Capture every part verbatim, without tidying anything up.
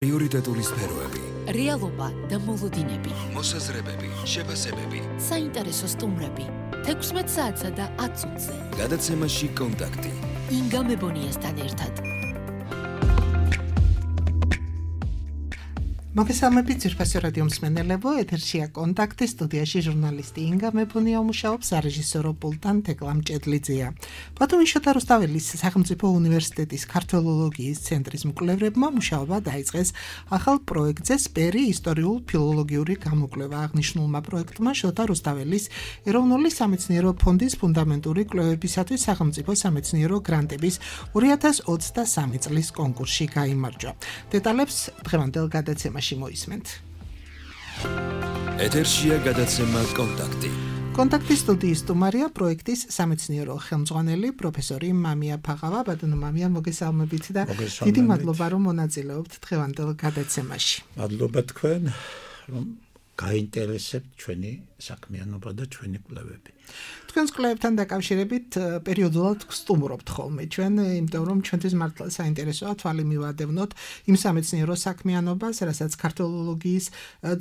პრიორიტეტული სფეროები, რეალობა და მოლოდინები, მოსაზრებები, შეფასებები, საინტერესო სტუმრები, თექვსმეტ საათსა და ათ წუთზე. გადაცემაში კონტაქტი. ინგა მებონიასთან ერთად. მოგესალმებით ძვირფასი რადიო მსმენელებო, ეთერშია კონტაქტი, სტუდიაში ჟურნალისტი ინგა მებონია მუშაობს, სარეჟისორო პულტთან თეკლა მჭედლიძეა. ბათუმის შოთა რუსთაველის სახელმწიფო უნივერსიტეტის ქართველოლოგიის ცენტრის მკვლევრებმა მუშაობა დაიწყეს ახალ პროექტზე სპერი ისტორიულ-ფილოლოგიური გამოკვლევა. აღნიშნულმა პროექტმა შოთა რუსთაველის ეროვნული სამეცნიერო ფონდის ფუნდამენტური კვლევებისათვის სახელმწიფო სამეცნიერო გრანტების ორი ათას ოცდასამი წლის კონკურსში გაიმარჯვა. დეტალებს დღევანდელ გადაცემაში მოისმენთ. ეთერშია გადაცემა კონტაქტი. კონტაქტის სტუდიის სტუმარია პროექტის სამეცნიერო ხელმძღვანელი პროფესორი მამია ფაღავა. ბატონო მამია, მოგესალმებით და დიდი მადლობა რომ მონაწილეობთ დღევანდელ გადაცემაში. მადლობა თქვენ, რომ გაინტერესებთ ჩვენი საქმიანობა და ჩვენი კვლევები. თქვენს კვლევებთან დაკავშირებით პერიოდულად ვსტუმრობთ ხოლმე ჩვენ, იმიტომ რომ ჩვენთვის მართლა საინტერესოა თვალი მივადევნოთ იმ სამეცნიერო საქმიანობას, რასაც ქართველოლოგიის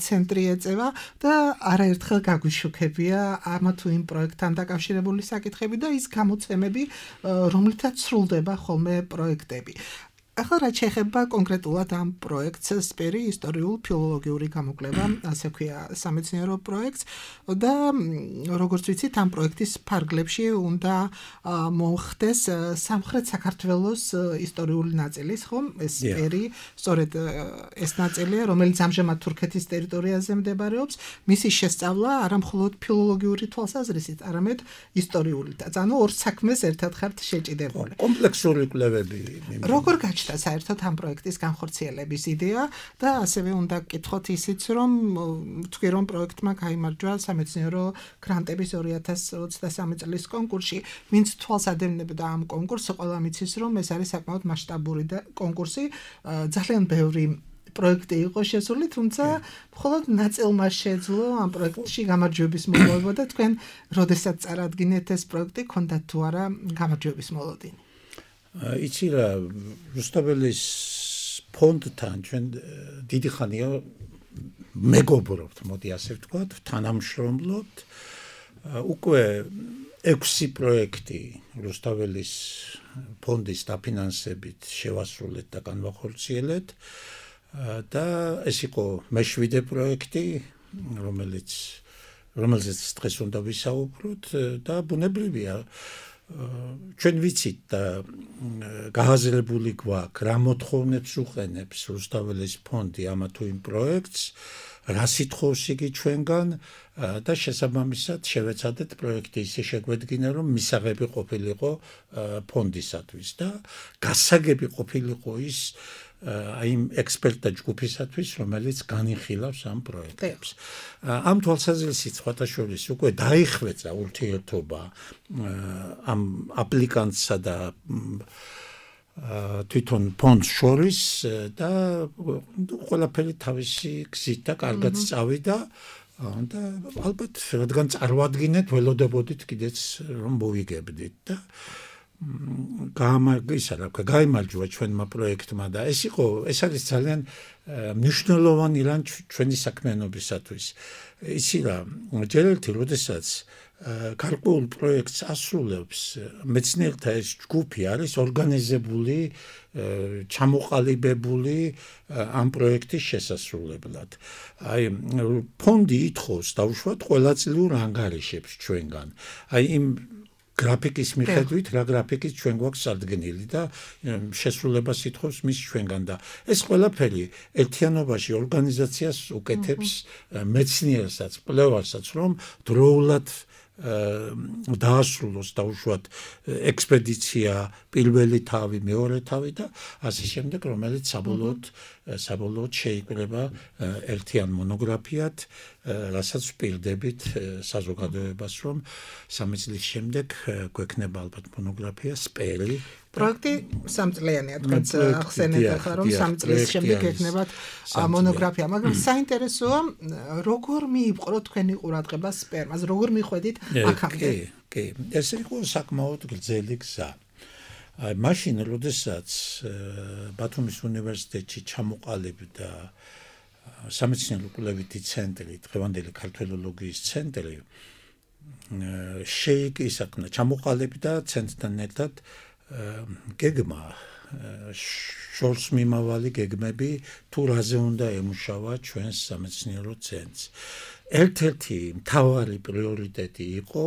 ცენტრი ეწევა და არაერთხელ გაგვიშუქებია ამა თუ იმ პროექტთან დაკავშირებული საკითხები და ის გამოცემები, რომლითაც სრულდება ხოლმე პროექტები. ახლა რაც შეეხება კონკრეტულად ამ პროექტს, სპერი ისტორიულ-ფილოლოგიური გამოკვლევა, ასე ქვია სამეცნიერო პროექტს და როგორც ვიცით, ამ პროექტის ფარგლებში უნდა მოხდეს სამხრეთ საქართველოს ისტორიული ნაწილის, ხომ? ეს სპერი, სწორედ ეს ნაწილია, რომელიც ამჟამად თურქეთის ტერიტორიაზე მდებარეობს, მისი შესწავლა არა მხოლოდ ფილოლოგიური თვალსაზრისით, არამედ ისტორიულითაც. ანუ ორ საქმეს ერთად ხართ შეჭიდებული. კომპლექსური კვლევები. როგორ გაჩნდა საერთოდ ამ პროექტის განხორციელების იდეა და ასევე უნდა გკითხოთ ისიც, რომ თქვი რომ პროექტმა გაიმარჯვა სამეცნიერო გრანტების ორი ათას ოცდასამი წლის კონკურსში. ვინც თვალს ადევნებდა ამ კონკურსს, ყველა მიცის, რომ ეს არის საკმაოდ მასშტაბური კონკურსი, ძალიან ბევრი პროექტი იყო შესული, თუმცა მხოლოდ ნაწილმა შეძლო ამ პროექტში გამარჯვების მოპოვება და თქვენ როდესაც წარადგინეთ ეს პროექტი, გქონდათ თუ არა გამარჯვების მოლოდინი? იცი რა, რუსთაველის ფონდთან ჩვენ დიდი ხანია მეგობრობთ, მოდი ასე ვთქვათ, თანამშრომლობთ. უკვე ექვსი პროექტი რუსთაველის ფონდის დაფინანსებით შევასრულეთ და განვახორციელეთ და ეს იყო მეშვიდე პროექტი, რომელიც რომელზეც დღეს უნდა ვისაუბროთ და ბუნებრივია ჩვენ ვიცით და გააზრებული გვაქვს, რა მოთხოვნებს უყენებს რუსთაველის ფონდი ამა თუ იმ პროექტს, რა სითხოვს იგი ჩვენგან და შესაბამისად შევეცადეთ პროექტი ისე შეგვედგინა, რომ მისაღები ყოფილიყო ფონდისათვის და გასაგები ყოფილიყო ის აი იმ ექსპერტთა ჯგუფისათვის, რომელიც განიხილავს ამ პროექტებს. ამ თვალსაზრისით სხვათა შორის უკვე დაიხვეწა ურთიერთობა ამ აპლიკანტსა და თვითონ ფონდს შორის და ყველაფერი თავისი გზით და კარგად წავიდა და ალბათ რადგან წარმოადგინეთ, ველოდებოდით კიდეც რომ მოვიგებდით და გაიმარჯვა ჩვენმა პროექტმა და ეს იყო, ეს არის ძალიან მნიშვნელოვანი რამ ჩვენი საქმიანობისათვის. იცი რა, ჯერ ერთი როდესაც გარკვეულ პროექტს ასრულებს, მეცნიერთა ეს ჯგუფი არის ორგანიზებული, ჩამოყალიბებული ამ პროექტის შესასრულებლად. აი, ფონდი ითხოვს დაუშვათ ყველაწლიურ ანგარიშებს ჩვენგან. აი იმ გრაფიკის მიხედვით, რა გრაფიკის ჩვენ გვაქვს წარდგენილი და შესრულებას ითხოვს მის ჩვენგან და ეს ყველაფერი ერთიანობაში ორგანიზაციას უკეთებს მეცნიერსაც, კვლევარსაც, რომ დროულად დაასრულოს დაუშვათ ექსპედიცია, პირველი თავი, მეორე თავი და ასე შემდეგ, რომელიც საბოლოოდ საბოლოოდ შეიკრება ერთიან მონოგრაფიად, რასაც ვპირდებით საზოგადოებას, რომ სამი წლის შემდეგ გვექნება ალბათ მონოგრაფია სპერი. პროექტი სამწლიანია, თქვენ ახსენეთ ახლა, რომ სამი წლის შემდეგ ექნებათ მონოგრაფია, მაგრამ საინტერესოა, როგორ მიიპყრო თქვენი ყურადღება სპერმას, როგორ მიხვედით აქამდე? კი, კი, ეს იყო საკმაოდ გრძელი გზა. აი მაშინ როდესაც ბათუმის უნივერსიტეტში ჩამოყალიბდა სამეცნიერო კვლევითი ცენტრი, დღევანდელი ქართველოლოგიის ცენტრი, შეიკისახნა, ჩამოყალიბდა ცენტრთან ერთად გეგმა, შორს მიმავალი გეგმები, თუ რაზე უნდა ემუშავა ჩვენს სამეცნიერო ცენტრს. ერთ-ერთი მთავარი პრიორიტეტი იყო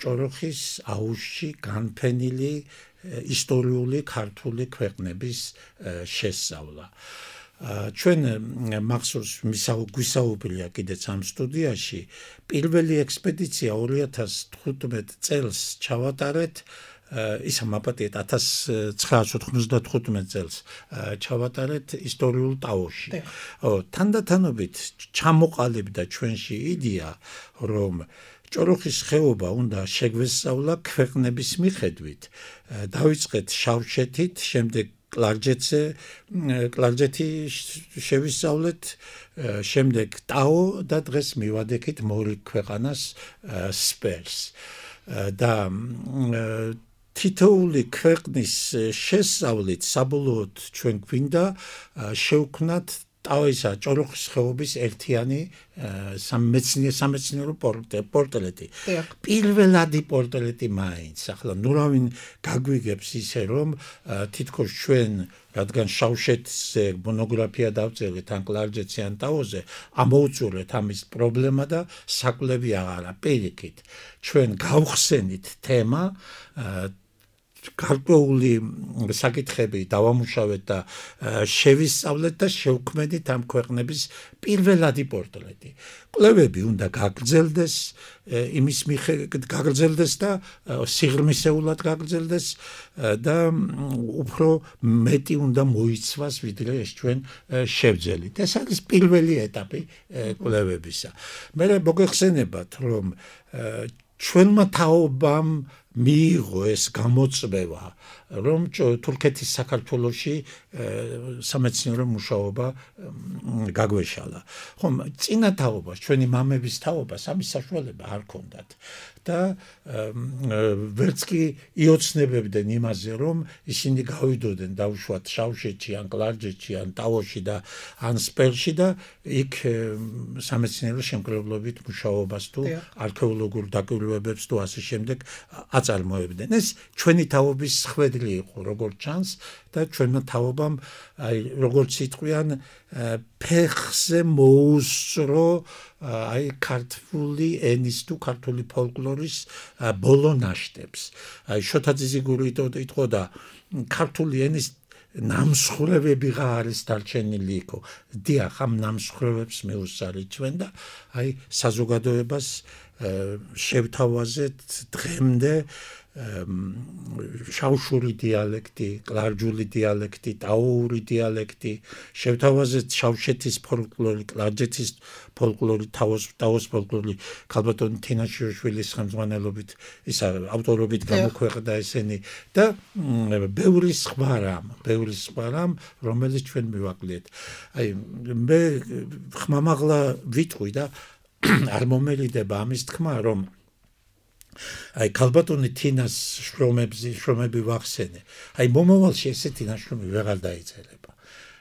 ჭოროხის აუზში განფენილი ისტორიული ქართული ქვეყნების შესწავლა. ჩვენ მახსოვს გვისაუბრია კიდეც ამ სტუდიაში, პირველი ექსპედიცია ორი ათას თხუთმეტ წელს ჩავატარეთ, ისა მაპატიეთ ათას ცხრაას ოთხმოცდათხუთმეტ წელს ჩავატარეთ ისტორიულ ტაოში. თანდათანობით ჩამოყალიბდა ჩვენში იდეა, რომ ჭოროხის ხეობა უნდა შეგვესწავლა ქვეყნების მიხედვით. დავიწყეთ შავშეთით, შემდეგ კლარჯეთზე, კლარჯეთი შევისწავლეთ, შემდეგ ტაო და დღეს მივადექით მორი ქვეყანას სპერს. და თითოეული ქვეყნის შესწავლით საბოლოოდ ჩვენ გვინდა შევქმნათ ტავისა ჭოროხის ხეობის ერთიანი სამეცნიერო პორტრეტი. პირველადი პორტრეტი მაინც. ახლა ნურავინ გაგვიგებს ისე, რომ თითქოს ჩვენ, რადგან შავშეთზე მონოგრაფია დავწერეთ ან კლარჯეთზე ან ტაოზე, ამოუწურეთ ამის პრობლემა და საკვლევი აღარა. პირიქით, ჩვენ გავხსენით თემა, გარკვეული საკითხები დავამუშავეთ და შევისწავლეთ და შევქმნით ამ ქვეყნების პირველადი პორტრეტი. კვლევები უნდა გაგრძელდეს, იმის მიხედვით გაგრძელდეს და სიღრმისეულად გაგრძელდეს და უფრო მეტი უნდა მოიცვას, ვიდრე ეს ჩვენ შევძელით. ეს არის პირველი ეტაპი კვლევებისა. მე მოგეხსენებათ, რომ ჩვენმა თაობამ მიიღო ეს გამოწვევა, რომ თურქეთის საქართველოში სამეცნიერო მუშაობა გაგვეშალა. ხომ, წინა თაობას, ჩვენი მამების თაობას ამის საშუალება არ ჰქონდათ. და ვერც კი იოცნებებდნენ იმაზე, რომ ისინი გავიდოდნენ დაუშვათ შავშეთში, ან კლარჯეთში, ან ტაოში და ან სპერში და იქ სამეცნიერო შემკრებლობით მუშაობას თუ არქეოლოგურ დაკვირვებებს თუ ასე შემდეგ აწარმოებდნენ. ეს ჩვენი თაობის ხვედრი იყო, როგორც ჩანს, და ჩვენმა თაობამ, აი, როგორც იტყვიან, ფეხზე მოუსწრო აი ქართული ენის თუ ქართული ფოლკლორის ბოლო ნაშთებს. აი შოთა ძიზიგური იტყოდა, ქართული ენის ნამსხვრევებიღა არის დარჩენილი იქო. დიახ, ამ ნამსხვრევებს მეუსწარი ჩვენ და აი საზოგადოებას შევთავაზეთ დღემდე შავშური დიალექტი, კლარჯული დიალექტი, ტაოური დიალექტი, შევთავაზეთ შავშეთის ფოლკლორი, კლარჯეთის ფოლკლორი, ტაოს ფოლკლორი, ქალბატონი თინაშვილის ხელმძღვანელობით, ისა ავტორობით გამოქვეყნდა ესენი და ბევრი სხვა რამ, ბევრი სხვა რამ, რომელიც ჩვენ მივაკლეთ. აი მე ხმამაღლა ვიტყვი და არ მომერიდება ამის თქმა, რომ აი ქალბატონი თინას შრომებზე შრომები ვახსენე. აი მომავალში ესეთი ნაშრომი ვეღარ დაიწერება.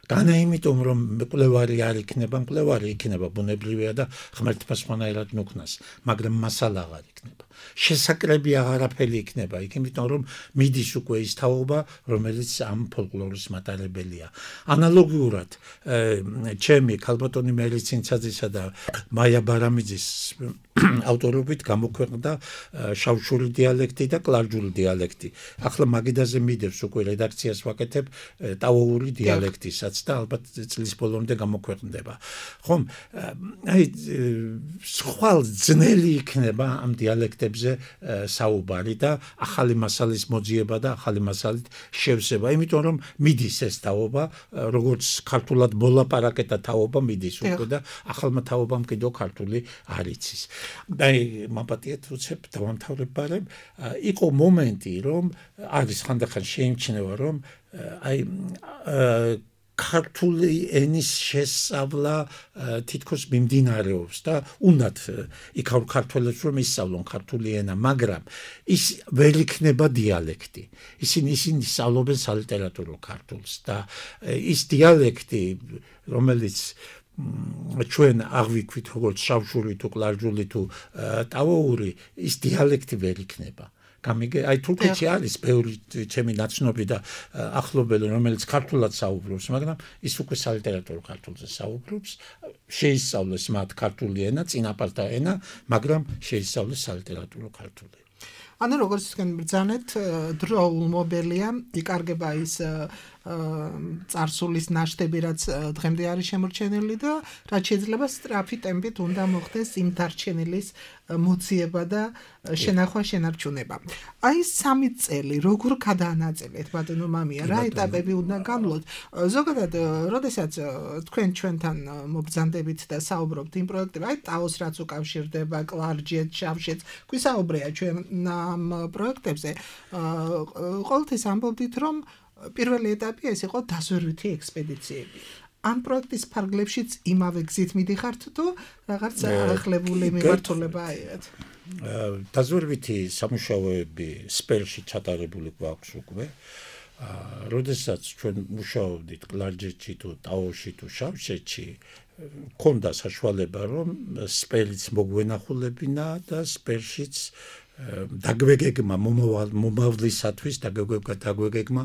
განა იმიტომ, რომ მკვლევარი არ იქნება, მკვლევარი იქნება ბუნებრივია და ღმერთმა სხვანაირად ნუქნას, მაგრამ მასალა აღარ იქნება. შესაკრები აღარაფერი იქნება, იქ იმიტომ, რომ მიდის უკვე ის თაობა, რომელიც ამ ფოლკლორის მატარებელია. ანალოგიურად, ჩემი ქალბატონი მელიცინცაძისა და მაია ბარამიძის ავტორობით გამოქვეყნდა შავშური დიალექტი და კლარჯული დიალექტი. ახლა მაგიდაზე მიდევს უკვე რედაქციას ვაკეთებ ტაოური დიალექტისაც და ალბათ წლის ბოლომდე გამოქვეყნდება. ხომ, აი სხვა ძნელი იქნება ამ დიალექტებზე საუბარი და ახალი მასალის მოძიება და ახალი მასალით შევსება, იმიტომ რომ მიდის ეს თაობა, როგორც ქართულად მოლაპარაკეთა თაობა მიდის უკვე და ახალმა თაობამ კიდევ ქართული არ იცის. აი მაპატიეთ უცებ დავამთავრებარებ, იყო მომენტი, რომ არის ხანდახან შეიმჩნევა, რომ აი ქართული ენის შესწავლა თითქოს მიმდინარეობს და უნდათ იქაურ ქართველებს რომ ისწავლონ ქართული ენა, მაგრამ ის ვერ იქნება დიალექტი. ისინი ისინი სწავლობენ სალიტერატურო ქართულს და ის დიალექტი, რომელიც ჩვენ აღვიქვით როგორც შავშური თუ კლარჯული თუ ტავოური, ის დიალექტი ვერ იქნება. გამიგე, აი თურქეთში არის ბევრი ჩემი ნაცნობი და ახლობელი, რომელიც ქართულად საუბრობს, მაგრამ ის უკვე სალიტერატურო ქართულზე საუბრობს, შეისწავლეს მათ ქართული ენა, წინაპართა ენა, მაგრამ შეისწავლეს სალიტერატურო ქართული. ანუ როგორც თქვენ ბრძანეთ, დროულმობელია, იკარგება ის წარსულის ნაშთები, რაც დღემდე არის შემორჩენილი და რაც შეიძლება სწრაფი ტემპით უნდა მოხდეს იმ დარჩენილის მოციება და შენახვა, შენარჩუნება. აი სამი წელი როგორ გადაანაწილეთ, ბატონო მამია, რა ეტაპები უნდა გამლოთ? ზოგადად, როდესაც თქვენ ჩვენთან მობრძანდებით და საუბრობთ იმ პროექტებზე, აი ტაოს რაც უკავშირდება, კლარჯეთს, შავშეთს, გვისაუბრია ჩვენ ამ პროექტებზე, ყოველთვის ამბობდით, რომ პირველი ეტაპი ეს იყო დაზვერვითი ექსპედიციები. ამ პროექტის ფარგლებშიც იმავე გზით მიდიხართ თუ რაღაც ახალებული მიმართულება აიღეთ? დაზვერვითი სამუშაოები სპერში ჩატარებული გვაქვს უკვე. როდესაც ჩვენ მუშაობდით კლარჯეთში თუ ტაოში თუ შავშეთში, ქონდა საშუალება რომ სპერიც მოგვენახულებინა და სპერშიც დაგვეგეგმა მომავლისათვის დაგვეგეგმა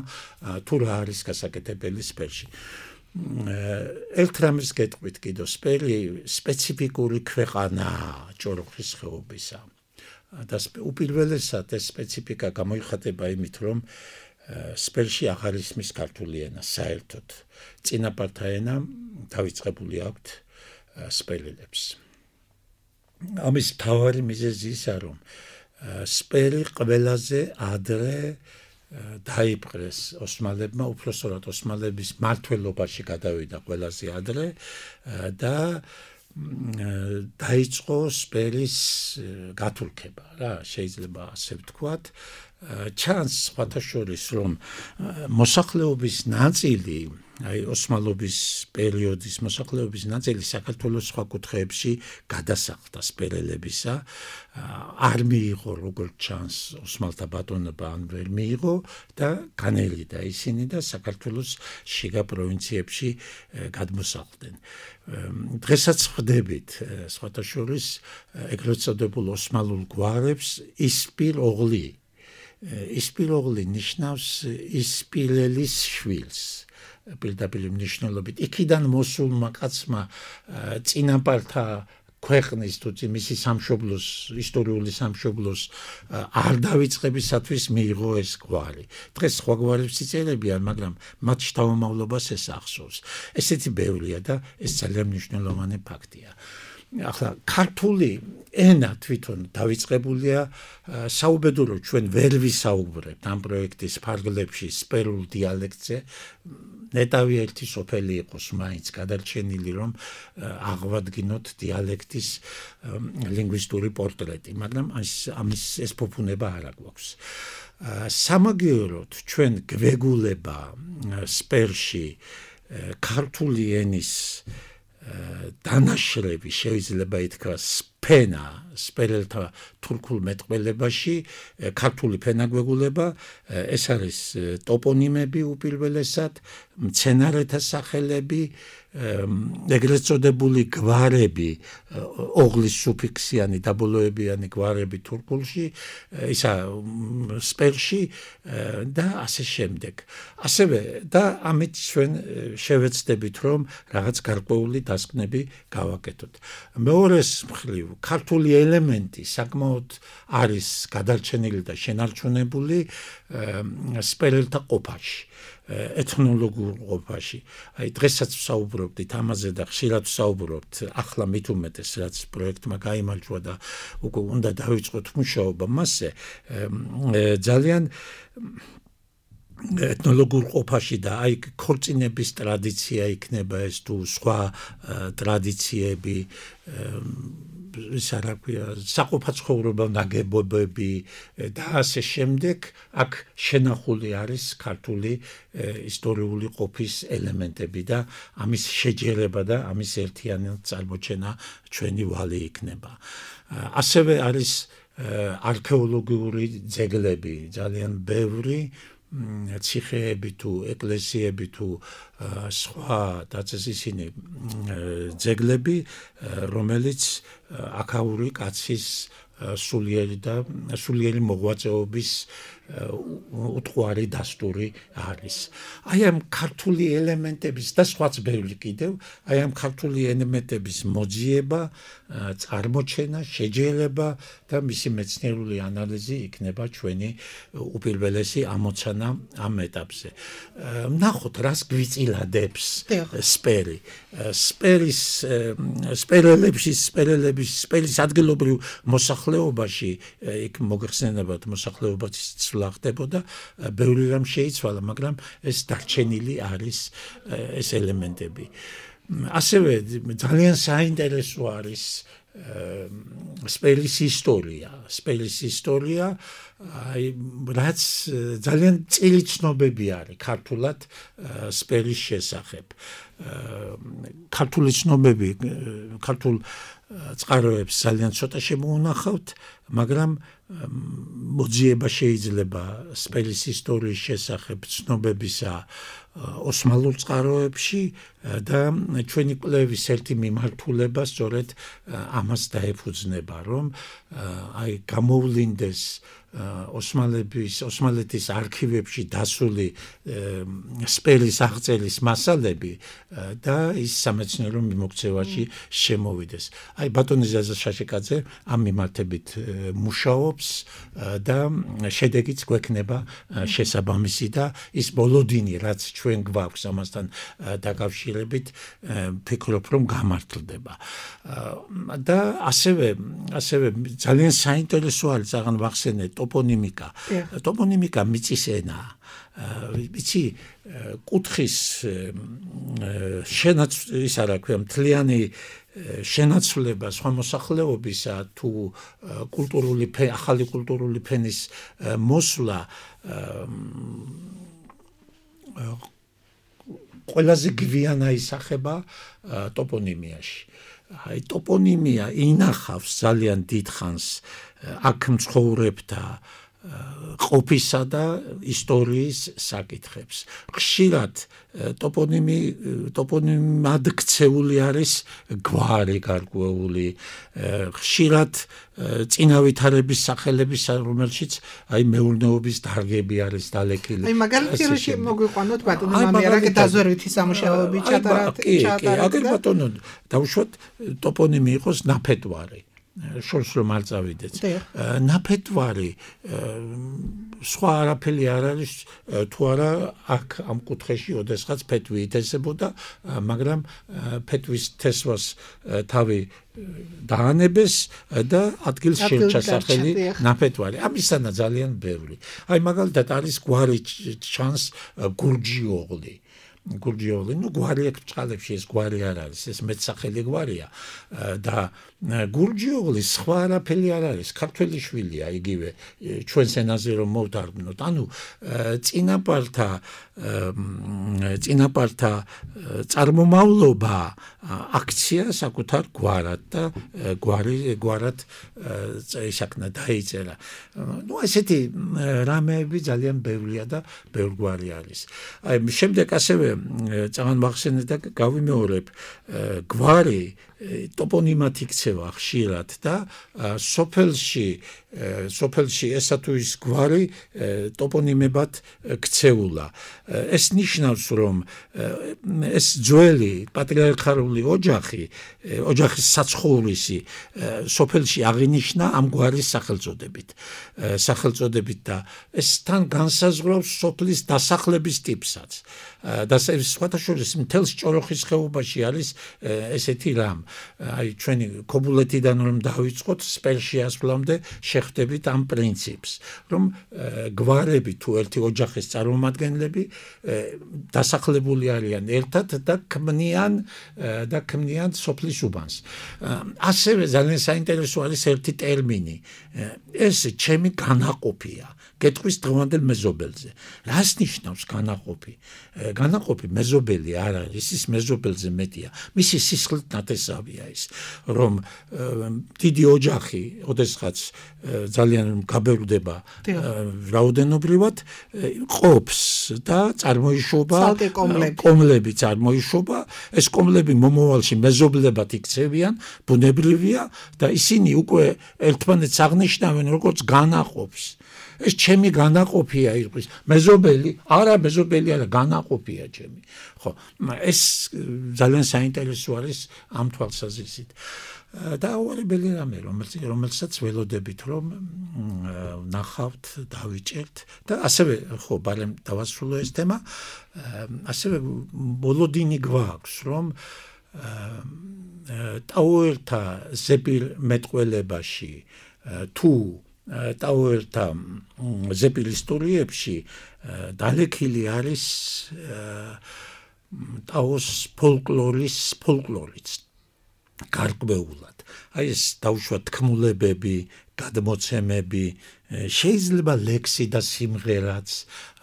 თუ რა არის გასაკეთებელი სპერში. ერთ რამის გეტყვით კიდო, სპერი სპეციფიკური ქვეყანაა ჭოროხის ხეობისა. და უპირველესად ეს სპეციფიკა გამოიხატება იმით, რომ სპერში აღარ ისმის ქართული ენა საერთოდ. წინაპართა ენა დავიწყებული აქვთ სპერელებს. ამის მთავარი მიზეზი ისა, რომ სპერი ყველაზე ადრე დაიპყრეს ოსმალებმა, უпроსტად ოსმალების მმართველობაში გადავიდა ყველაზე ადრე და დაიწყო სპერის გათურქება, რა, შეიძლება ასე ვთქვათ. ჩანს სხვათა შორის, რომ მოსახლეობის ნაწილი, აი ოსმალობის პერიოდის მოსახლეობის ნაწილი საქართველოს სხვა კუთხეებში გადასახლდა სპერელებისა, არ მიიღო როგორც ჩანს ოსმალთა ბატონობა, ან ვერ მიიღო და განელიდა ისინი და საქართველოს შიგა პროვინციებში გადმოსახლდნენ. დღესაც ხვდებით სხვათა შორის ეგრეთ წოდებულ ოსმალურ გვარებს ისპირ ოღლი. ისპირ ოღლი ნიშნავს ისპირელის შვილს. პირდაპირ მნიშვნელობით. იქიდან მოსულმა კაცმა წინაპართა ქვეყნის თუ მისი სამშობლოს, ისტორიული სამშობლოს არ დავიწყებისათვის მიიღო ეს გვარი. დღეს სხვა გვარებს იწერებიან, მაგრამ მათ შთამომავლობას ეს ახსოვს. ესეთი ბევრია და ეს ძალიან მნიშვნელოვანი ფაქტია. ახლა ქართული ენა თვითონ დავიწყებულია საუბედუროდ ჩვენ ვერ ვისაუბრებთ ამ პროექტის ფარგლებში სპერულ დიალექტზე. ნეტავი ერთი სოფელი იყოს მაინც გადარჩენილი, რომ აღვადგინოთ დიალექტის ლინგვისტური პორტრეტი, მაგრამ ამის ეს ფუფუნება არ აქვს. სამაგიეროდ ჩვენ გვეგულება სპერში ქართული ენის დანაშრები შეიძლება ითქვას ფენა სპერელთა თურქულ მეტყველებაში, ქართული ფენა გვეგულება, ეს არის ტოპონიმები უპირველესად, მცენარეთა სახელები, ეგრეთ წოდებული გვარები, ოღლის სუფიქსიანი დაბოლოებიანი გვარები თურქულში, ისა სპერში და ასე შემდეგ. ასევე და ამით ჩვენ შევეცდებით, რომ რაღაც გარკვეული დასკვნები გავაკეთოთ. მეორეს მხრივ, ქართული ელემენტი საკმაოდ არის გადარჩენილი და შენარჩუნებული სპერელთა ყოფაში. ეთნოლოგიურ ყოფაში. აი დღესაც ვსაუბრობდით ამაზე და ხშირად ვსაუბრობთ, ახლა მით უმეტეს რაც პროექტმა გაიმარჯვა და უკვე უნდა დავიწყოთ მუშაობა მასზე, ძალიან ეთნოლოგურ ყოფაში და აი ქორწინების ტრადიცია იქნება ეს თუ სხვა ტრადიციები ის რა ქვია საყოფაცხოვრებო ნაგებობები და ასე შემდეგ აქ შენახული არის ქართული ისტორიული ყოფის ელემენტები და ამის შეჯერება და ამის ერთიანი წარმოჩენა ჩვენი ვალი იქნება. ასევე არის არქეოლოგიური ძეგლები ძალიან ბევრი ციხეები თუ ეკლესიები თუ სხვა დაწესისინი ძეგლები რომელიც აქაური კაცის სულიერი და სულიერი მოღვაწეობის უთხვარი დასტური არის. აი ამ ქართული ელემენტების და სხვაც ბევრი კიდევ, აი ამ ქართული ელემენტების მოძიება, წარმოჩენა, შეჯერება და მისი მეცნიერული ანალიზი იქნება ჩვენი უპირველესი ამოცანა ამ ეტაპზე. ნახოთ, რას გვიწილადებს სპერი. სპერის სპერელებში, სპერელების, სპერის ადგილობრივ მოსახლეობაში იქ მოგხსენებათ მოსახლეობის ცვლა ხდებოდა, ბევრი რამ შეიცვალა, მაგრამ ეს დარჩენილი არის ეს ელემენტები. ასევე ძალიან საინტერესო არის სპერის ისტორია. სპერის ისტორია, აი რაც ძალიან წილი ცნობები არის ქართულად სპერის შესახებ. ქართული ცნობები, ქართულ წყაროებს ძალიან ცოტა შემოუნახავთ, მაგრამ მოძიება შეიძლება სპერის ისტორიის შესახებ ცნობებისა ოსმალურ წყაროებში და ჩვენი კვლევის ერთი მიმართულება სწორედ ამას დაეფუძნება, რომ აი გამოვლინდეს ოსმალების ოსმალეთის არქივებში დასული სპერის აღწერის მასალები და ის სამეცნიერო მიმოქცევაში შემოვიდეს. აი ბატონი ზაზა შაშიკაძე ამ მიმართებით მუშაობს და შედეგიც გვექნება შესაბამისი და ის ბოლოდინი რაც ჩვენ გვაქვს ამასთან დაკავშირებით ფიქრობ რომ გამართლდება. და ასევე ასევე ძალიან საინტერესო არის აღარ ვახსენე ტოპონიმიკა. ტოპონიმიკა მიწის ენაა. იცი კუთხის შენაც ის არა ქვია მთლიანი შენაცვლება სხვა მოსახლეობისა თუ კულტურული ახალი კულტურული ფენის მოსვლა ყველაზე გვიანა ისახება ტოპონიმიაში. აი ტოპონიმია ინახავს ძალიან დიდხანს აქ მცხოვრებთა ყოფისა და ისტორიის საკითხებს. ხშირად ტოპონიმი ტოპონიმად ქცეული არის გვარი გარკვეული, ხშირად წინავითარების სახელების რომელშიც აი მეურნეობის დარგები არის დალექილი. აი მაგალითად მოგვიყვანოთ ბატონო მამიერაკე დაზვერვითი სამუშაოები ჩატარათ ჩატარათ. აგერ ბატონო დავუშვათ ტოპონიმი იყოს ნაფეტვარი. შორს რომ არ წავიდეთ. ნაფეტვარი სხვა არაფერი არ არის თუ არა აქ ამ კუთხეში ოდესღაც ფეტვი ითესებოდა, მაგრამ ფეტვის თესვას თავი დაანებეს და ადგილს შეერჩა სახელი ნაფეტვარი. ამისანა ძალიან ბევრი. აი მაგალითად არის გვარი ჩანს გურჯიოღლი. გურჯიოღლი, ну გვარი აქ წყალებში ეს გვარი არ არის, ეს მეტსახელი გვარია და გურჯიოღლი სხვა არაფერი არ არის, ქართველი შვილია იგივე ჩვენს ენაზე რომ მოვდარბნოთ. ანუ წინაპართა წინაპართა წარმომავლობა აქცია საკუთარ გვარად და გვარი გვარად ისაკნა დაიწერა. ну ესეთი რამეები ძალიან ბევრია და ბევრგვარი არის. აი შემდეგ ასევე წამან მახსენე და გავიმეორებ გვარი ტოპონიმად იქცევა ხშირად და სოფელში სოფელში ესა თუ ის გვარი ტოპონიმებად ქცეულა. ეს ნიშნავს რომ ეს ძველი პატრიარქალური ოჯახი ოჯახის საცხოვრისი სოფელში აღინიშნა ამ გვარის სახელწოდებით სახელწოდებით და ეს თან განსაზღვრავს სოფლის დასახლების ტიპსაც. ასე სხვათა შორის მთელს ჭოროხის ხეობაში არის ესეთი რამ. აი ჩვენი ქობულეთიდან რომ დავიწყოთ სპელში ასვლამდე შეხვდებით ამ პრინციპს, რომ გვარები თუ ერთი ოჯახის წარმომადგენლები დასახლებული არიან ერთად და ქმნიან და ქმნიან სოფლის უბანს. ასევე ძალიან საინტერესო არის ერთი ტერმინი. ეს ჩემი განაყოფია. გეტყვის დღევანდელ მეზობელზე. რას ნიშნავს განაყოფი? განაყოფი მეზობელი არ არის, ის მეზობელზე მეტია. მისი სისხლით ნათესავია ის, რომ დიდი ოჯახი, ოდესღაც ძალიან გაბევრდება რაოდენობრივად, ყოფს და წარმოიშობა კომლები წარმოიშობა, ეს კომლები მომავალში მეზობლებად იქცევიან, ბუნებრივია და ისინი უკვე ერთმანეთს აღნიშნავენ როგორც განაყოფს. ეს ჩემი განაყოფია იყოს. მეზობელი, არა მეზობელი არა, განაყოფია ჩემი. ხო, ეს ძალიან საინტერესო არის ამ თვალსაზრისით. და უარებელი რამე, რომელსაც ველოდებით რომ ნახავთ, დავიჭერთ და ასევე ხო, ბარემ დავასრულო ეს თემა, ასევე ბოლოდინი გვაქვს, რომ ტაუერთა ზეპირ მეტყველებაში თუ ტაუერთა ზეპირ ისტორიებში დალექილი არის ტაოს ფოლკლორის ფოლკლორიც გარკვეულად. აი ეს დაუშვათ თქმულებები, გადმოცემები, შეიძლება ლექსი და სიმღერაც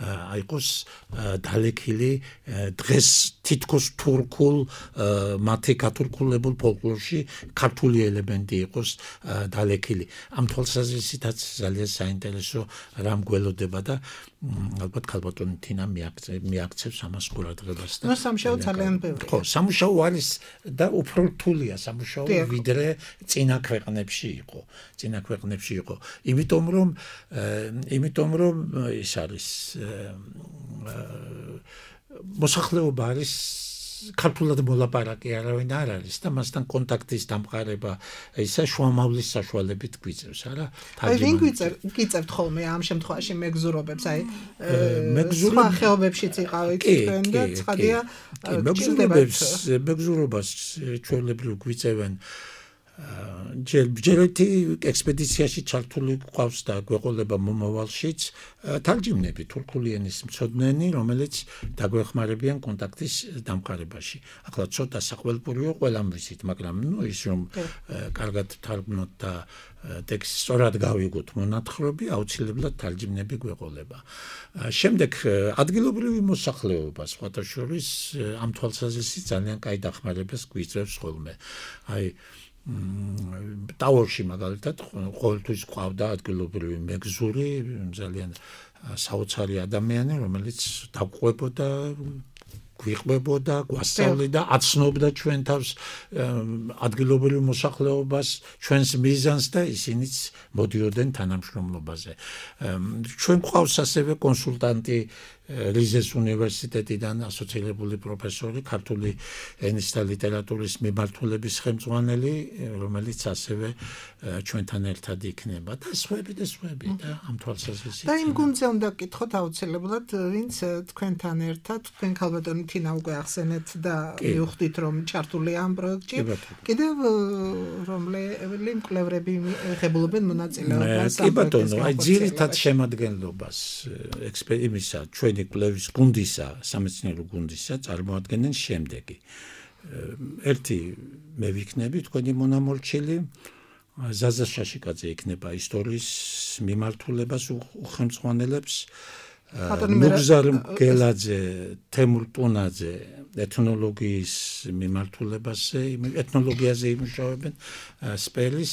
აიყოს დალექილი დღეს თითქოს თურქულ მათი ქართულქულებულ ფოლკლორში ქართული ელემენტი იყოს დალექილი. ამ თვალსაზრისითაც ძალიან საინტერესო რამ გველოდება და ალბათ ქალბატონი თინა მიაქცევს ამას ყურადღებას. ნუ სამუშაო ძალიან ბევრია. ხო, სამუშაო არის და უფრო რთულია სამუშაო ვიდრე წინა ქვეყნებში იყო. წინა ქვეყნებში იყო. იმიტომ რომ იმიტომ რომ ის არის მოსახლეობა არის ქართულად მოლაპარაკე არავინ არ არის და მასთან კონტაქტის დამყარება ისა შუამავლის საშუალებით გვიწევს, არა? აი ვინ გვიწევთ ხოლმე ამ შემთხვევაში მეგზურობებს, აი სხვა ხეობებშიც იყავით თქვენ და ცხადია მეგზურობებს მეგზურობას ჩვეულებრივ გვიწევენ ჯერეთი ექსპედიციაში ჩართული ყავს და გვეყოლება მომავალშიც თარჯიმნები თურქული ენის მცოდნენი, რომელიც დაგვეხმარებიან კონტაქტის დამყარებაში. ახლა ცოტა სახელმწიფოა ყველამ ვიცით, მაგრამ ნუ ის რომ კარგად თარგმნოთ და ტექსტი სწორად გავიგოთ მონათხრობი, აუცილებლად თარჯიმნები გვეყოლება. შემდეგ ადგილობრივი მოსახლეობა სხვათა შორის ამ თვალსაზრისით ძალიან კაი დახმარებას გვიწევს ხოლმე. აი ტაურში მაგალითად ყოველთვის ყავდა ადგილობრივი მეგზური, ძალიან საოცარი ადამიანი, რომელიც დაგვყვებოდა, გვიყვებოდა, გვასწავლიდა, აცნობდა ჩვენ თავს ადგილობრივ მოსახლეობას, ჩვენს მიზანს და ისინიც მოდიოდნენ თანამშრომლობაზე. ჩვენ გვყავს ასევე კონსულტანტი რიზეს უნივერსიტეტიდან ასოცირებული პროფესორი, ქართული ენის და ლიტერატურის მიმართულების ხელმძღვანელი, რომელიც ასევე ჩვენთან ერთად იქნება და სხვები და სხვები და ამ თვალსაზრისით. და იმ გუნდზე უნდა გკითხოთ აუცილებლად, ვინც თქვენთან ერთად, თქვენ ქალბატონი თინა უკვე ახსენეთ და მივხვდით რომ ჩართულია ამ პროექტში. კიდევ რომელი მკვლევრები იღებულობენ მონაწილეობას? კი ბატონო, აი ძირითად შემადგენლობას ექსპერიმისა ჩვენი კვლევის გუნდისა, სამეცნიერო გუნდისა წარმოადგენენ შემდეგი. ერთი მე ვიქნები თქვენი მონამორჩილი, ზაზა შაშიკაძე იქნება ისტორიის მიმართულებას უხელმძღვანელებს, ნუგზარ მგელაძე, თემურ ტუნაძე ეთნოლოგიის მიმართულებაზე, ეთნოლოგიაზე იმუშავებენ, სპელის,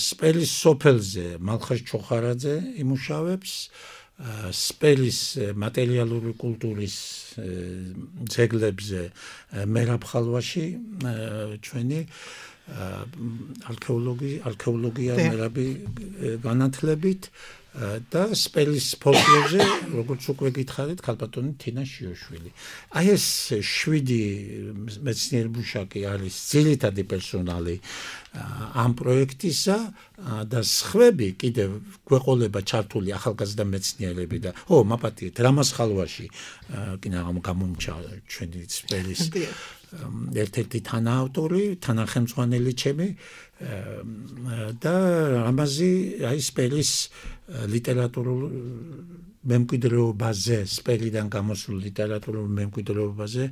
სპელის სოფელზე მალხაზ ჩოხარაძე იმუშავებს, სპელის მატერიალური კულტურის ძეგლებზე მერაბ ხალვაში ჩვენი არქეოლოგი არქეოლოგია მერაბი განათლებით და სპელის ფოლკლორზე, როგორც უკვე გითხარით, ქალბატონი თინა შიოშვილი. აი ეს შვიდი მეცნიერ-მუშაკი არის ძირითადი პერსონალი ამ პროექტისა და სხვები კიდევ გვეყოლება ჩართული ახალგაზრდა მეცნიერები და ო, მაპატიეთ, რამაზ ხალვაში კიდე გამომჩა ჩვენი სპელის ერთ-ერთი თანაავტორი, თანახემწვანელი ჩემი და რამაზი აი სპელის ლიტერატურულ მემკვიდრეობაზე, სპელიდან გამოსულ ლიტერატურულ მემკვიდრეობაზე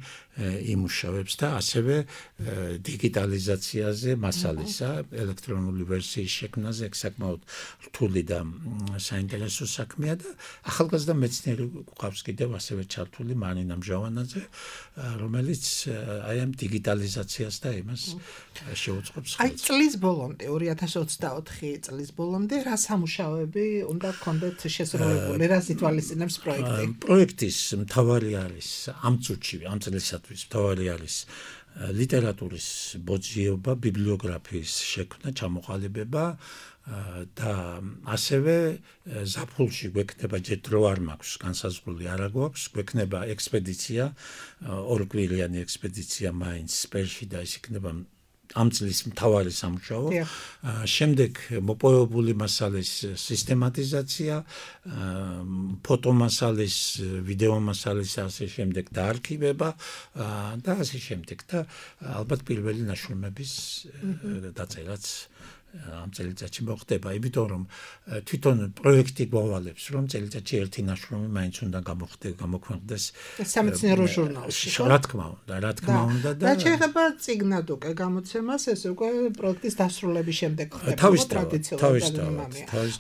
იმუშავებს და ასევე დიგიტალიზაციაზე, მასალისა, ელექტრონული ვერსიის შექმნაზე საკმაოდ რთული და საინტერესო საქმეა და ახალგაზრდა მეცნიერი გვყავს კიდევ ასევე ჩართული მარინა მჟავანაძე, რომელიც აი ამ დიგიტალიზაციას და იმას შეუწყობს ხელს. აი წლის ბოლომდე, ორი ათას ოცდაოთხი წლის ბოლომდე რა სამუშაოები უნდა გქონდეთ შესრულებული, რა ითვალისწინებს პროექტი? პროექტის მთავარი არის ამ წუთში, ამ წლისათვის მთავარი არის ლიტერატურის ბოძიება, ბიბლიოგრაფიის შექმნა, ჩამოყალიბება და ასევე ზაფხულში გვექნება ჯერ დრო არ მაქვს, განსაზღვრული არ გვაქვს, გვექნება ექსპედიცია, ორკვირიანი ექსპედიცია მაინც სპელში და ის იქნება ამ წლის მთავარი სამუშაო. შემდეგ მოპოვებული მასალის სისტემატიზაცია, ფოტო მასალის, ვიდეო მასალის ასე შემდეგ დაარქივება და ასე შემდეგ და ალბათ პირველი ნაშრომების დაწერაც ამ წელიწადში მოხდება, იმიტომ რომ თვითონ პროექტი გვავალებს, რომ წელიწადში ერთი ნაშრომი მაინც უნდა გამოქვეყნდეს სამეცნიერო ჟურნალში. რა თქმა უნდა, რა თქმა უნდა და და შეიძლება წიგნად უკვე გამოცემას, ეს უკვე პროექტის დასრულების შემდეგ ხდება ტრადიციულად.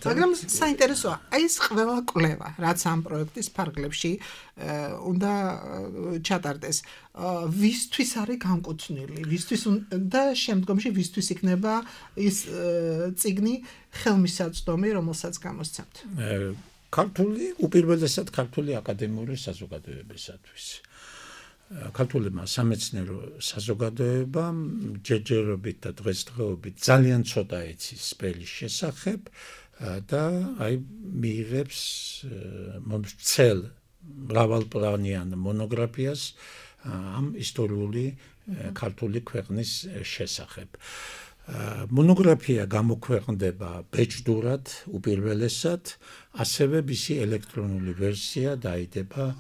მაგრამ საინტერესოა, აი ეს ყველა კვლევა, რაც ამ პროექტის ფარგლებში უნდა ჩატარდეს, ვისთვის არის განკუთვნილი, ვისთვის და შემდგომში ვისთვის იქნება ის წიგნი ხელმისაწვდომი, რომელსაც გამოსცემთ. ქართული, უპირველესად ქართული აკადემიური საზოგადოებისათვის. ქართული სამეცნიერო საზოგადოება ჯერჯერობით და დღესდღეობით ძალიან ცოტა იცის სპელის შესახებ და აი მიიღებს მომცელ მრავალპლანიან მონოგრაფიას ამ ისტორიული ქართული ქვეყნის შესახებ. მონოგრაფია გამოქვეყნდება ბეჭდურად უპირველესად, ასევე მისი ელექტრონული ვერსია დაიდება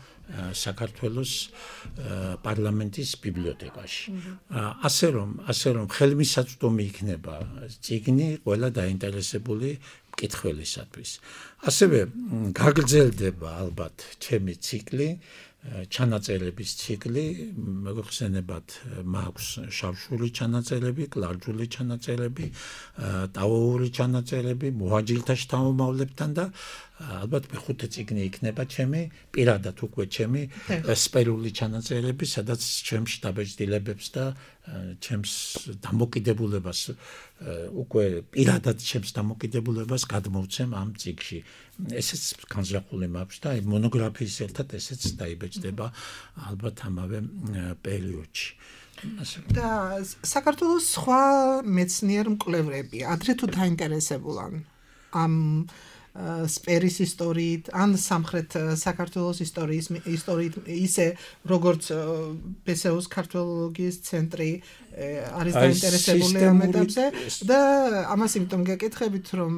საქართველოს პარლამენტის ბიბლიოთეკაში. ასე რომ, ასე რომ ხელმისაწვდომი იქნება წიგნი ყველა დაინტერესებული მკითხველისათვის. ასევე გაგრძელდება ალბათ ჩემი ციკლი, ჩანაწერების ციკლი, მოგხსენებათ, მაქვს შავშური ჩანაწერები, კლარჯული ჩანაწერები, ტავოური ჩანაწერები, მოაჯილთა შთამომავლებთან და ალბათ მეხუთე წიგნი იქნება ჩემი, პირადად უკვე ჩემი სპელული ჩანაწერები, სადაც ჩემს შტაბეჭდილებებს და ჩემს დამოკიდებულებას უკვე პირადად ჩემს დამოკიდებულებას გადმოვცემ ამ წიგნში. ესეც განზრახული მაქვს და აი მონოგრაფიის ერთად ესეც დაიბეჭდება ალბათ ამავე პერიოდში. და საქართველოს სხვა მეცნიერ მკვლევრები ადრე თუ დაინტერესებულან ამ სპერის ისტორიით, ან სამხრეთ საქართველოს ისტორიის ისტორიით, ისე როგორც ბესეუს ქართოლოგიის ცენტრი არის დაინტერესებული ამ ეტაპზე და ამას იმიტომ გეკითხებით, რომ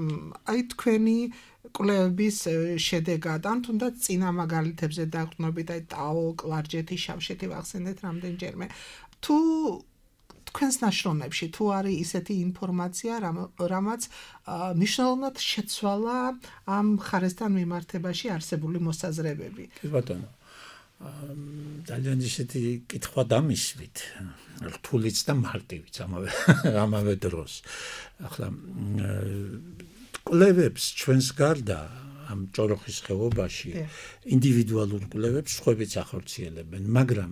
აი თქვენი კვლევების შედეგად, ან თუნდაც წინა მაგალითებზე დაყრდნობით, აი ტაო, კლარჯეთი, შავშეთი ვახსენეთ რამდენჯერმე. თუ თქვენს ნაშრომებში თუ არის ისეთი ინფორმაცია, რამაც მნიშვნელოვნად შეცვალა ამ მხარესთან მიმართებაში არსებული მოსაზრებები. კი ბატონო. ძალიან ისეთი კითხვა დამისვით, რთულიც და მარტივიც ამავე ამავე დროს. ახლა კვლევებს ჩვენს გარდა ამ ჭოროხის ხეობაში ინდივიდუალურ კვლევებს სხვებიც ახორციელებენ, მაგრამ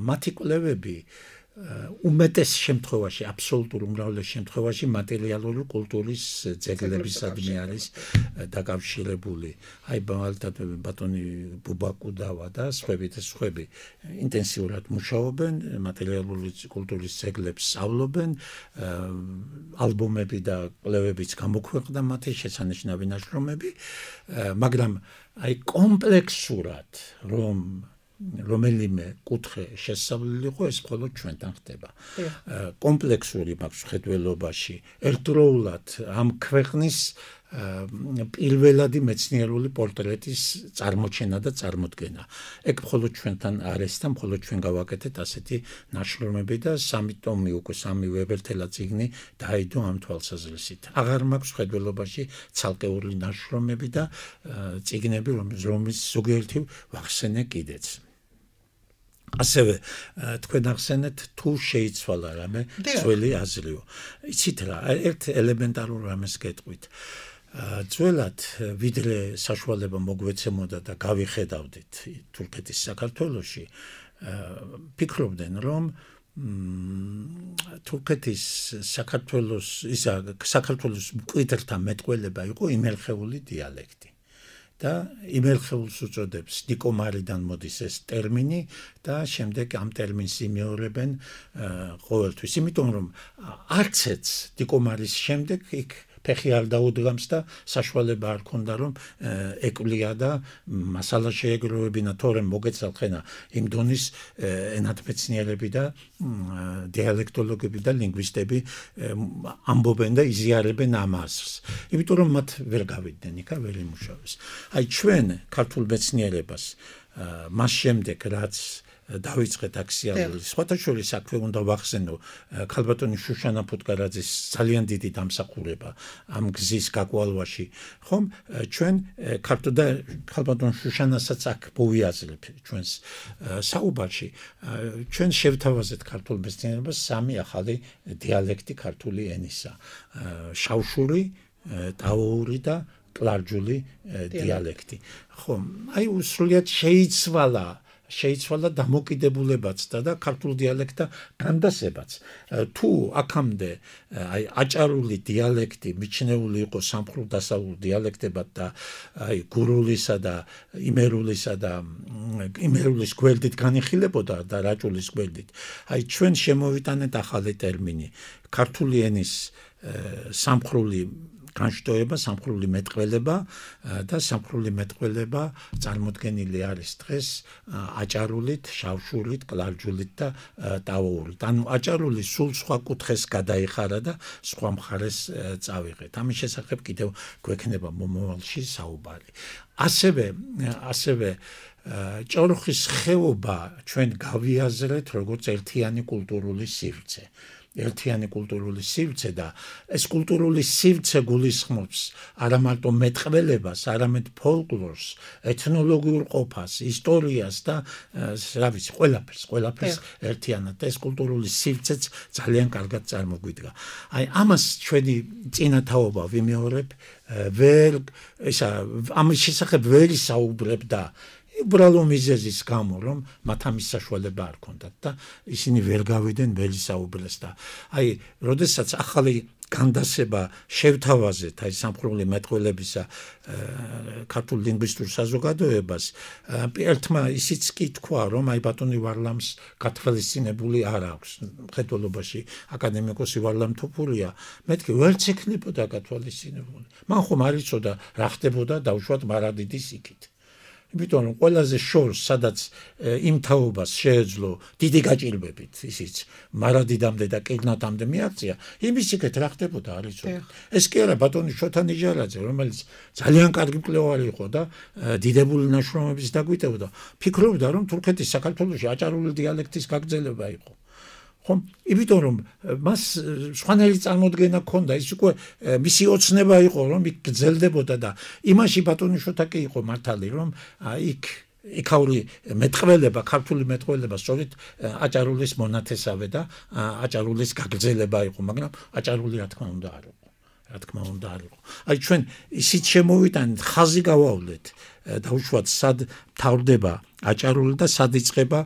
მათი კვლევები უმეტეს შემთხვევაში, აბსოლუტურ უმრავლეს შემთხვევაში მატერიალური კულტურის ძეგლებისადმი არის დაკავშირებული. აი მაგალითად ბატონი ბუბაკუდავა და სხვები და სხვები ინტენსიურად მუშაობენ, მატერიალური კულტურის ძეგლებს სწავლობენ, ალბომები და კვლევებიც გამოქვეყნდა მათი შესანიშნავი ნაშრომები, მაგრამ აი კომპლექსურად რომ რომელიმე კუთხე შესწავლილიყო ეს მხოლოდ ჩვენთან ხდება. კომპლექსური მაქვს ხედველობაში ერთდროულად ამ ქვეყნის პირველადი მეცნიერული პორტრეტის წარმოჩენა და წარმოდგენა. ეგ მხოლოდ ჩვენთან არის და მხოლოდ ჩვენ გავაკეთეთ ასეთი ნაშრომები და სამი ტომი უკვე სამი ვებერთელა წიგნი დაიდო ამ თვალსაზრისით. აღარ მაქვს ხედველობაში ცალკეული ნაშრომები და წიგნები, რომლის ზოგიერთი ვახსენე კიდეც. ასევე თქვენ ახსენეთ თუ შეიცვალა რამე ძველი აზრიო. იცით რა, ერთ ელემენტარულ რამეს გეტყვით. ძველად ვიდრე საშუალება მოგვეცემოდა და გავიხედავდით თურქეთის საქართველოში, ფიქრობდნენ რომ თურქეთის საქართველოს ისა საქართველოს მკვიდრთა მეტყველება იყო იმერხეული დიალექტი. და იმერხეულს უწოდებს ნიკომარიდან მოდის ეს ტერმინი და შემდეგ ამ ტერმინს იმეორებენ ყოველთვის. იმიტომ რომ არც ერთს ნიკომარის შემდეგ იქ ფეხი არ დაუდგამს და საშუალება არ ქონდა რომ ეკვლია და მასალა შეეგროვებინა თორემ მოგეცალხენა იმ დონის ენათმეცნიერები და დიალექტოლოგები და ლინგვისტები ამბობენ და იზიარებენ ამ აზრს. იმიტომ რომ მათ ვერ გავიდნენ იქა ვერ იმუშავეს. აი ჩვენ ქართულ მეცნიერებას მას შემდეგ რაც დავიწყეთ აქსიალური სხვათა შორის აქვე უნდა ვახსენო ქალბატონი შუშანა ფუტკარაძის ძალიან დიდი დამსახურება ამ გზის გაკვალვაში ხომ ჩვენ ქართულ და ქალბატონ შუშანასაც აქ მოვიაზრებ ჩვენს საუბარში ჩვენ შევთავაზეთ ქართულ მეცნიერებას სამი ახალი დიალექტი ქართული ენისა შავშური ტაოური და კლარჯული დიალექტი ხომ აი უსრულიად შეიცვალა შეიცვალა დამოკიდებულებაც და ქართულ დიალექტთა განდასებაც. თუ აქამდე აი აჭარული დიალექტი მიჩნეული იყო სამხრულ დასავლურ დიალექტებად და აი გურულისა და იმერულისა და იმერულის გვერდით განიხილებოდა და რაჭულის გვერდით. აი ჩვენ შემოვიტანეთ ახალი ტერმინი ქართული ენის სამხრული განშტოება, სამხრული მეტყველება და სამხრული მეტყველება წარმოდგენილი არის დღეს აჭარულით, შავშურით, კლარჯულით და ტაოურით. ანუ აჭარული სულ სხვა კუთხეს გადაიხარა და სხვა მხარეს წავიღეთ. ამის შესახებ კიდევ გვექნება მომავალში საუბარი. ასევე ასევე ჭოროხის ხეობა ჩვენ გავიაზრეთ როგორც ერთიანი კულტურული სივრცე. ერთიანი კულტურული სივრცე და ეს კულტურული სივრცე გულისხმობს არა მარტო მეტყველებას, არამედ ფოლკლორს, ეთნოლოგიურ ყოფას, ისტორიას და რა ვიცი, ყველაფერს, ყველაფერს ერთიანად. ეს კულტურული სივრცეც ძალიან კარგად წარმოგვიდგა. აი ამას ჩვენი წინათაობა ვიმეორებ, ვერ ისა ამის შესახებ ვერ ისაუბრებ და უბრალო მიზეზის გამო რომ მათ ამის საშუალება არ ქონდათ და ისინი ვერ გავიდნენ ვერ ისაუბრეს და აი როდესაც ახალი განდასება შევთავაზეთ აი სამხრული მეტყველებისა ქართულ ლინგვისტურ საზოგადოებას ერთმა ისიც კი თქვა რომ აი ბატონი ვარლამს გათვალისწინებული არ აქვს მხედველობაში აკადემიკოსი ვარლამ თოფურია მეთქი ვერც ექნებოდა გათვალისწინებული მან ხომ არ იცოდა რა ხდებოდა დაუშვათ მარადიდის იქით იმიტომ რომ ყველაზე შორს სადაც იმ თაობას შეეძლო დიდი გაჭირვებით ისიც მარადიდამდე და კილნათამდე მიაღწია იმის იქეთ რა ხდებოდა არ იცოდა ეს კი არა ბატონი შოთა ნიჟარაძე რომელიც ძალიან კარგი მკვლევარი იყო და დიდებული ნაშრომების დაგვიტევდა ფიქრობდა რომ თურქეთის საქართველოში აჭარული დიალექტის გაგრძელება იყო ხომ იმიტომ რომ მას სხვანაირი წარმოდგენა ჰქონდა ის უკვე მისი ოცნება იყო რომ იქ გრძელდებოდა და იმაში ბატონი შოთა კი იყო მართალი რომ იქ იქაური მეტყველება ქართული მეტყველება სწორედ აჭარულის მონათესავე და აჭარულის გაგრძელება იყო მაგრამ აჭარული რა თქმა უნდა არ იყო რა თქმა უნდა არ იყო. აი ჩვენ ისიც შემოვიტანეთ, ხაზი გავავლეთ, დაუშვათ სად თავდება აჭარული და სად იწყება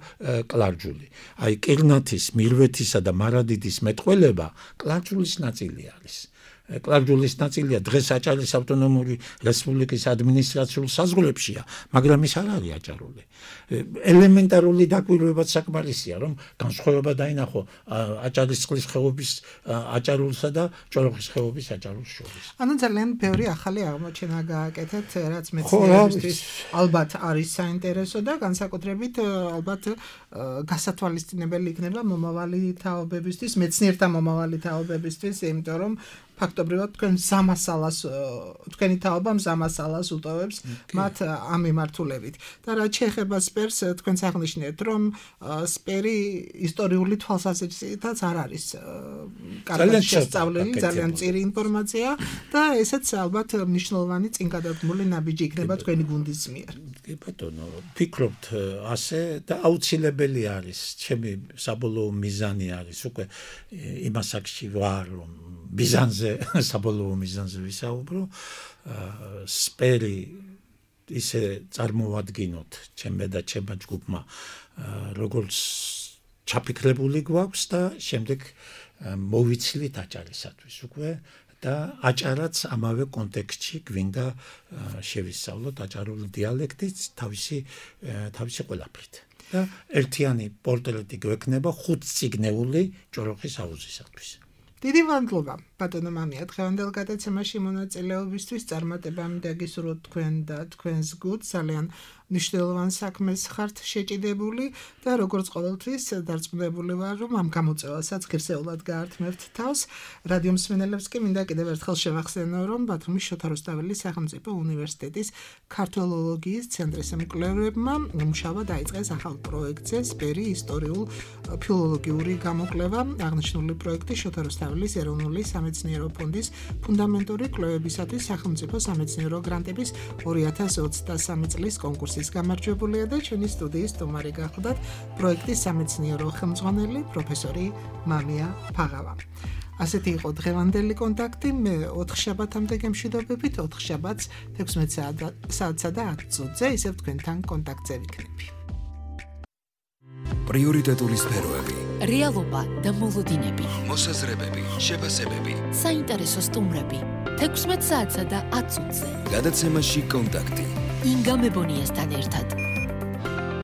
კლარჯული. აი კირნათის, მირვეთისა და მარადიდის მეტყველება კლარჯულის ნაწილი არის. კლარჯულის ნაწილია დღეს აჭარის ავტონომური რესპუბლიკის ადმინისტრაციულ საზღვრებშია, მაგრამ ის არ არის აჭარული. ელემენტარული დაკვირვებაც საკმარისია, რომ განსხვავება დაინახო აჭარის წყლის ხეობის აჭარულსა და ჭოროხის ხეობის აჭარულს შორის. ანუ ძალიან ბევრი ახალი აღმოჩენა გააკეთეთ, რაც მეცნიერებისთვის ალბათ არის საინტერესო და განსაკუთრებით ალბათ გასათვალისწინებელი იქნება მომავალი თაობებისთვის, მეცნიერთა მომავალი თაობებისთვის, იმიტომ რომ ფაქტობრივად თქვენ ზამასალას თქვენი თაობა ზამასალას უტოვებს მათ ამ მიმართულებით. და რაც შეეხება სპერს, თქვენს აღნიშნეთ, რომ სპერი ისტორიული თვალსაზრისითაც არ არის კარგად შესწავლილი, ძალიან მწირი ინფორმაცია და ესეც ალბათ მნიშვნელოვანი წინგადადგმული ნაბიჯი იქნება თქვენი გუნდის მიერ. კი ბატონო, ფიქრობთ ასე და აუცილებელი არის, ჩემი საბოლოო მიზანი არის უკვე იმას აქში ვარ, რომ ბიზანზე საბოლოო მიზანზე ვისაუბრო, სპერი ისე წარმოვადგინოთ ჩემმა და ჩემმა ჯგუფმა, როგორც ჩაფიქრებული გვაქვს და შემდეგ მოვიცილით აჭარისათვის უკვე და აჭარაც ამავე კონტექსტში გვინდა შევისწავლოთ აჭარული დიალექტით თავისი თავისი ყველაფრით. და ერთიანი პორტრეტი გვექნება ხუთწიგნეული ჭოროხის აუზისათვის. დიდი მადლობა ბატონო მამია, დღევანდელ გადაცემაში მონაწილეობისთვის, წარმატებამ დაგისურვოთ თქვენ და თქვენს გუნდს, ძალიან მნიშვნელოვან საქმეს ხართ შეჭიდებული და როგორც ყოველთვის დარწმუნებული ვარ, რომ ამ გამოწვევასაც ღირსეულად გაართმევთ თავს. რადიო მსმენელებს კი მინდა კიდევ ერთხელ შევახსენო, რომ ბათუმის შოთა რუსთაველის სახელმწიფო უნივერსიტეტის ქართველოლოგიის ცენტრის მკვლევარებმა მუშაობა დაიწყეს ახალ პროექტზე, სპერი ისტორიულ ფილოლოგიური გამოკვლევა. აღნიშნული პროექტი შოთა რუსთაველის ეროვნული სამეცნიერო ფონდის ფუნდამენტური კვლევებისათვის სახელმწიფო სამეცნიერო გრანტების ორი ათას ოცდასამი წლის კონკურსის გამარჯვებულია და ჩვენი სტუდიის სტუმარი გახლდათ პროექტის სამეცნიერო ხელმძღვანელი პროფესორი მამია ფაღავა. ასეთი იყო დღევანდელი კონტაქტი. მე ოთხ შაბათამდე გემშვიდობებით, ოთხ შაბათს თექვსმეტ საათსა და ათ წუთზე ისევ თქვენთან კონტაქტზე ვიქნები. პრიორიტეტული სფეროები, რეალობა და მოლოდინები, მოსაზრებები, შეფასებები, საინტერესო სტუმრები, თექვსმეტ საათსა და ათ წუთზე. გადაცემაში კონტაქტი. ინგა მებონიასთან ერთად.